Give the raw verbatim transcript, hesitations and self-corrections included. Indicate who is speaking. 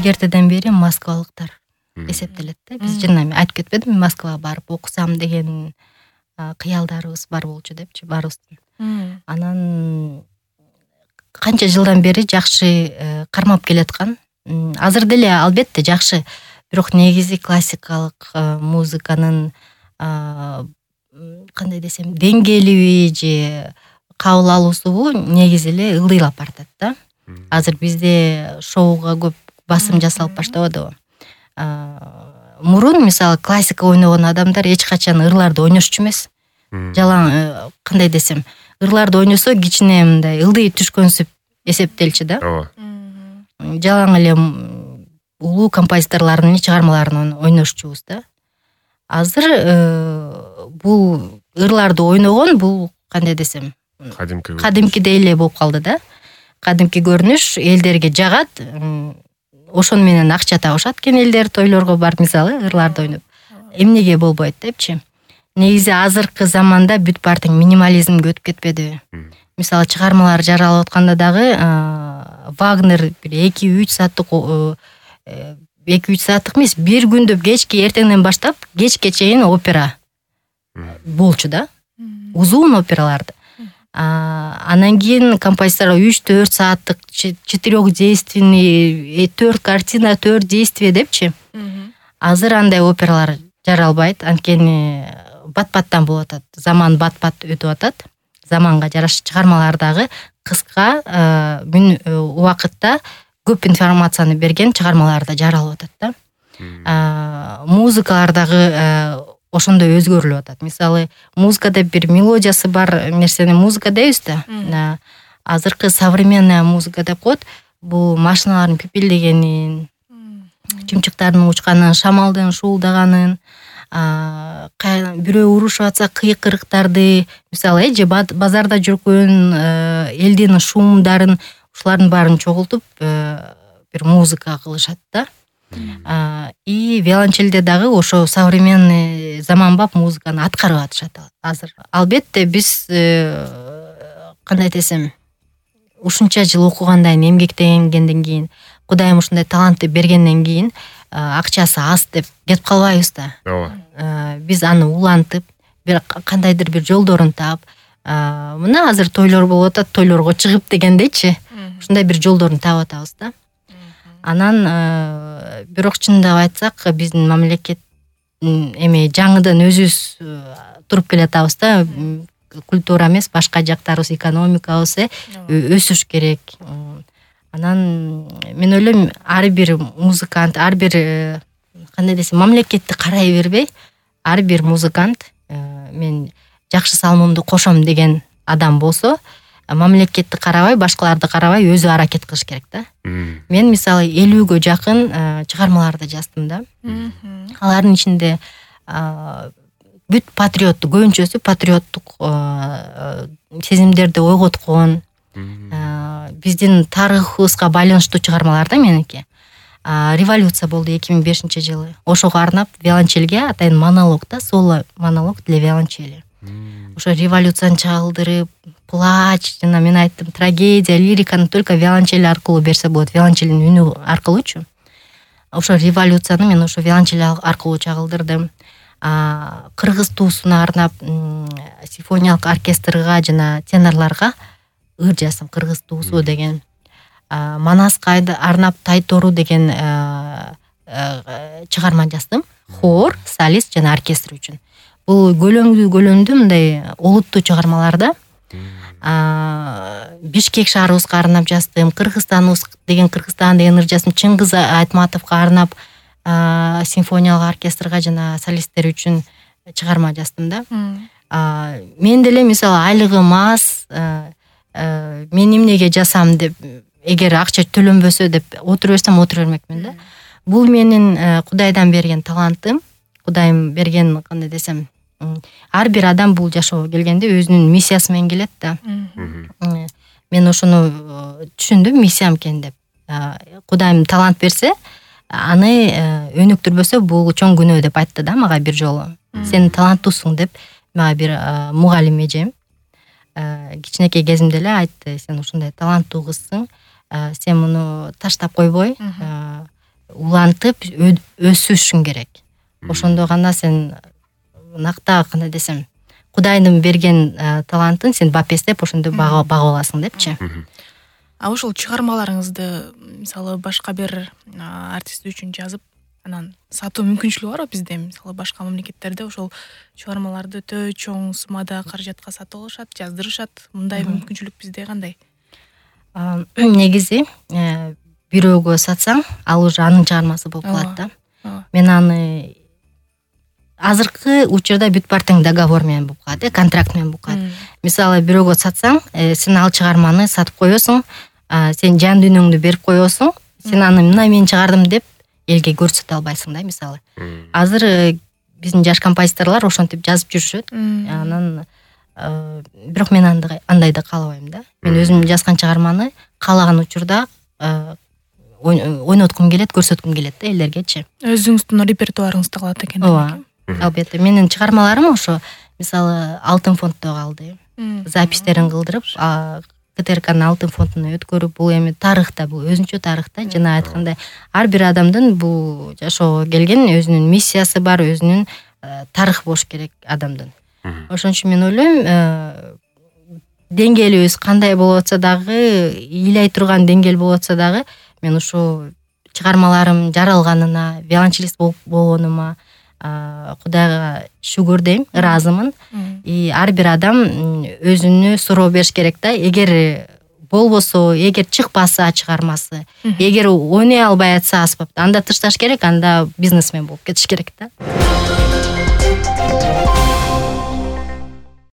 Speaker 1: илгертеден бери москвалыктар эсептелет да. Биз жана айтып кетпедимби, Москвага барып окусам деген кыялдарыбыз бар болчу депчи, баарыбыздын. Анан канча жылдан бери жакшы кармап келаткан. Азыр деле албетте жакшы, бирок негизи классикалык музыканын кандай десем, деңгээлиби же кабыл алуусубу негизи эле ылдыйлап баратат да. Азыр бизде шоуга көп басым жасалып баштабадыбы. Мурун мисалы классика ойногон адамдар эч качан ырларды ойношчу эмес. Жалаң кандай десем, ырларды ойносо кичине мындай ылдый түшкөнсүп эсептелчү да.
Speaker 2: Ооба.
Speaker 1: Жалаң эле улуу композиторлордун чыгармаларын ойношчубуз да. Азыр бул ырларды ойногон бул кандай десем,
Speaker 2: кадимки
Speaker 1: кадимкидей эле болуп калды да. Кадимки көрүнүш элдерге жагат. Ошону менен акча табышат экен элдер, тойлорго барып мисалы ырларды ойноп. Эмнеге болбойт депчи. Негизи азыркы заманда бүт баардык минимализмге өтүп кетпедиби? Мисалы чыгармалар жаралып атканда дагы Вагнер бир эки үч сааттык эки үч сааттык эмес, бир күндөп кечки эртеңден баштап кечке чейин опера болчу да. Узун операларды. Анан кийин композитор үч төрт сааттык четырёхдейственный төрт картина, төрт действие депчи. Азыр андай опералар жаралбайт, анткени бат-баттан болуп атат. Заман бат-бат өтүп атат. Заманга жараша чыгармалар дагы кыска убакытта көп информацияны берген чыгармалар да жаралып атат да. Музыкалар дагы ошондой өзгөрүлүп атат. Мисалы, музыкада бир мелодиясы бар нерсени музыка дейбиз да. Азыркы современная музыка деп коет. Бул машиналардын пипилдегенин, чымчыктардын учканын, шамалдын шуулдаганын, бирөө урушуп атса кыйкырыктарды, мисалы, же базарда жүргөн элдин шумдарын, ушулардын баарын чогултуп бир музыка кылышат да. И виолончелде дагы ошо современный заманбап музыканы аткарып атышат азыр. Албетте биз кандай десем, ушунча жыл окугандан кийин, эмгектенгенден кийин, Кудайым ушундай талантты бергенден кийин акчасы аз деп кетип калбайбыз да.
Speaker 2: Ооба.
Speaker 1: Биз аны улантып, бир кандайдыр бир жолдорун таап, мына азыр тойлор болуп атат, тойлорго чыгып дегендейчи, ушундай бир жолдорун таап атабыз да. Анан бирок чындап айтсак, биздин мамлекет эми жаңыдан өзүбүз туруп келатабыз да. Культура эмес, башка жактарыбыз, экономикабыз өсүш керек. Анан мен ойлойм, ар бир музыкант, ар бир кандай десем, мамлекетти карай бербей, ар бир музыкант мен жакшы салымымды кошом деген адам болсо, мамлекетти карабай, башкаларды карабай өзү аракет кылыш керек да. Мен мисалы элүүгө жакын чыгармаларды жаздым да. Алардын ичинде бүт патриоттук, көбүнчөсү патриоттук сезимдерди ойготкон, биздин тарыхыбызга байланыштуу чыгармалар да меники. Революция болду эки миң бешинчи жылы. Ошого арнап виолончелге атайын монолог да, соло монолог для виолончели. Ошо революцияны чагылдырып, плач, жана мен айттым, трагедия, лириканы только виолончель аркылуу берсе болот, виолончелдин үнү аркылуучу. Ошо революцияны мен ошо виолончель аркылуу чагылдырдым. Кыргыз туусуна арнап симфониялык оркестрга жана тенорлорго ыр жаздым, кыргыз туусу деген. Манаска арнап Тайтору деген чыгарма жаздым. Хор, солист жана оркестр үчүн. Бул көлөмдүү көлөмдүү мындай олуттуу чыгармалар да. Бишкек шаарыбызга арнап жаздым. Кыргызстаныбыз деген Кыргызстан деген ыр жаздым. Чыңгыз Айтматовго арнап симфониялык оркестрга жана солисттер үчүн чыгарма жаздым да. Мен деле мисалы айлыгым аз, мен эмнеге жасам деп, эгер акча төлөнбөсө деп отура берсем отура бермекмин да. Бул менин Кудайдан берген талантым. Кудайым берген, кандай десем, ар бир адам бул жашоого келгенде өзүнүн миссиясы менен келет да. Мен ошону түшүндүм, миссиям экен деп. Кудайым талант берсе, аны өнүктүрбөсө бул чоң күнөө деп айтты да мага бир жолу. Сен таланттуусуң деп мага бир мугалим эжем кичинекей кезимде эле айтты. Сен ушундай таланттуу кызсың, сен муну таштап койбой, улантып өсүшүң керек. Ошондо гана сен накта кандай десем, Кудайдын берген талантын сен бапестеп ошондо багып аласың депчи.
Speaker 2: А ошол чыгармаларыңызды мисалы башка бир артист үчүн жазып, анан сатуу мүмкүнчүлүгү барбы? Бизде мисалы башка мамлекеттерде ошол чыгармаларды өтө чоң суммада каражатка сатып алышат, жаздырышат. Мындай мүмкүнчүлүк бизде кандай?
Speaker 1: Негизи бирөөгө сатсаң, ал уже анын чыгармасы болуп калат да. Мен аны азыркы учурда бүт бартың договор менен болуп калат, контракт менен болуп калат. Мисалы бирөөгө сатсаң, сен ал чыгарманы сатып коесуң, сен жан дүйнөңдү берип коесуң, сен аны мына мен чыгардым деп элге көрсөтө албайсың да, мисалы. Азыр биздин жаш композиторлор ошентип жазып жүрүшөт. Анан бирок мен андайды каалабайм да. Мен өзүм жазган чыгарманы каалаган учурда ойноткум келет, көрсөткүм келет да элдергечи.
Speaker 2: Өзүңүздүн репертуарыңызда калат экен.
Speaker 1: Ооба. Албетте менин чыгармаларым ошо мисалы Алтын фонддо калды. Запистерин кылдырып, КТРКнын Алтын фондуна өткөрүп, бул эми тарыхта, бул өзүнчө тарыхта, жана айткандай, ар бир адамдын бул жашоого келген өзүнүн миссиясы бар, өзүнүн тарыхы болуш керек адамдын. Ошон үчүн мен ойлойм, деңгээлибиз кандай болуп атса дагы, ыйлай турган деңгээл болуп атса дагы, мен ушу чыгармаларым жаралганына, виолончелист болгонума Кудайга шүгүр дейм, ыраазымын. И ар бир адам өзүнө суроо бериш керек да. Эгер болбосо, эгер чыкпаса чыгармасы, эгер ойной албай атса аспапты, анда ташташ керек, анда бизнесмен болуп кетиш керек да.